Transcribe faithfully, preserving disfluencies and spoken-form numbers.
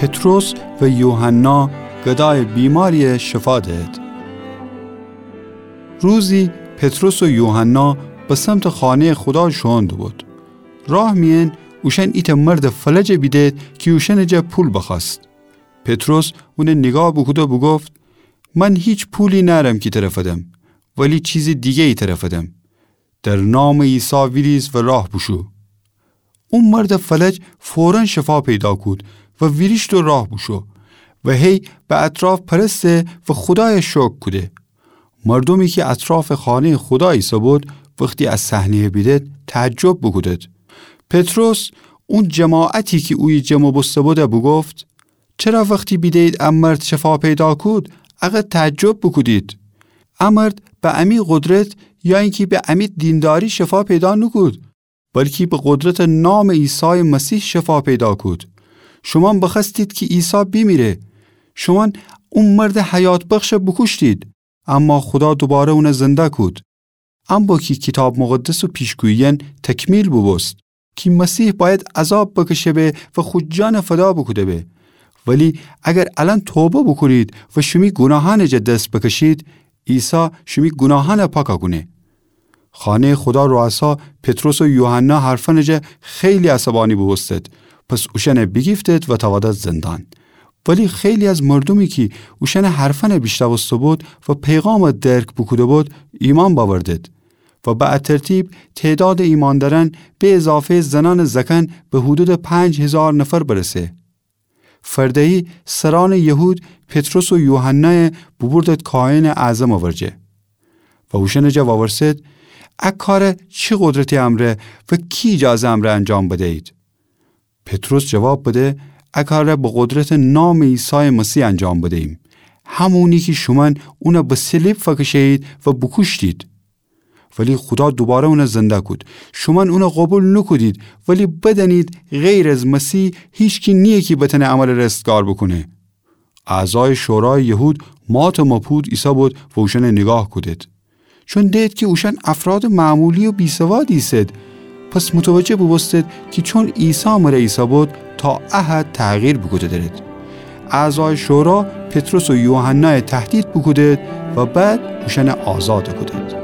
پطرس و یوحنا گدایٚ بیماریَ شفا دهد. روزی پطرس و یوحنا به سمتٚ خانه‌یٚ خودا شوئون دوبود. راه میأن اوشأن ایتأ مردٚ فلجَ بیدهد کی اوشأنٚ جا پول بخوأست. پطرس اونَ نیگاه بوکوده بوگفت: من هیچ پولی نأرم کی ترَ فدم، ولی چیزٚ دیگه‌یی ترَ فدم. در نامٚ عیسی ویریز و راه بوشو. او مردٚ فلج فوراً شفا پیدا کود و ویریشت و راه بوشو و هی به اطراف پرسه و خودایَ شکر کوده. مردومی کی اطرافٚ خانه‌یٚ خودا ایسه‌بود، وختی ا صحنه‌یَ بیدد، تعجب بوکودد. پطرس اون جماعتی کی اویه جمع بوسته‌بود بوگفت: چرا وختی بیده‌یید ا مرد شفا پیدا کود، اقدر تعجب بوکودید؟ ا مرد به امی قدرت یا اینکی به امی دینداری شفا پیدا نوکود، بلکی به قدرتٚ نامٚ عیسایٚ مسیح شفا پیدا کود. شومأن بخوأستید کی عیسی بیمیره. شومأن او مردٚ حیات‌بخشَ بوکوشتید، اما خودا دوباره اونَ زنده کود. ام بو کی کیتاب مقدسٚ پیشگویی‌یأن تکمیل بوبوست کی مسیح بأید عذاب بکشه به و خو جانَ فدا بوکوده به. ولی اگر الأن توبه بوکونید و شیمی گوناهأنٚ جا دس بکشید، عیسی شیمی گوناهأنَ پاکَ کونه. خانه‌یٚ خودا روأسا پطرس و یوحنا حرفأنٚ جا خیلی عصبانی بوبوستد، پس اوشأنَ بیگیفتد و تأودد زندان. ولی خیلی از مردومی کی اوشأنٚ حرفأنَ بیشنوسته‌بود و پیغامَ درک بوکوده‌بود، ایمأن بأوردد و به ا ترتیب تعدادٚ ایمأندأرأن به اضافه‌یٚ زنأنٚ زأکأن به حدودٚ پنج هیزار نفر برسه. فرده‌یی سرأنٚ یهود پطرس و یوحنایَ بوبوردد کاهنٚ اعظمٚ ورجه و اوشأنٚ جا وورسد: ا کارَ چی قدرتی امرأ و کی ایجازه امرأ انجام بدیید؟ پطرس جواب بده: ا کارَ به قدرتٚ نامٚ عیسایٚ مسیح انجام بدییم، همونی کی شومأن اونَ به صلیب فکشه‌یید و بوکوشتید. ولی خودا دوباره اونَ زنده کود. شومأن اونَ قوبیل نوکودید، ولی بدأنید غیر از مسیح هیچکی نییه کی بتأنه امرَ رستگار بوکونه. اعضایٚ شورایٚ یهود ماتٚ مپود ایسه‌بود و اوشأنَ نیگاه کودید. چون دئید کی اوشأن افرادٚ معمولی و بی‌سوادی ایسید، پس متوجه بوبوستید کی چون عیسی مرَ ایسه‌بود، تا ا حد تغییر بوکوده دأرید. اعضایٚ شورا پطرس و یوحنایَ تهدید بوکودید و بعد اوشأنَ آزاد کودید.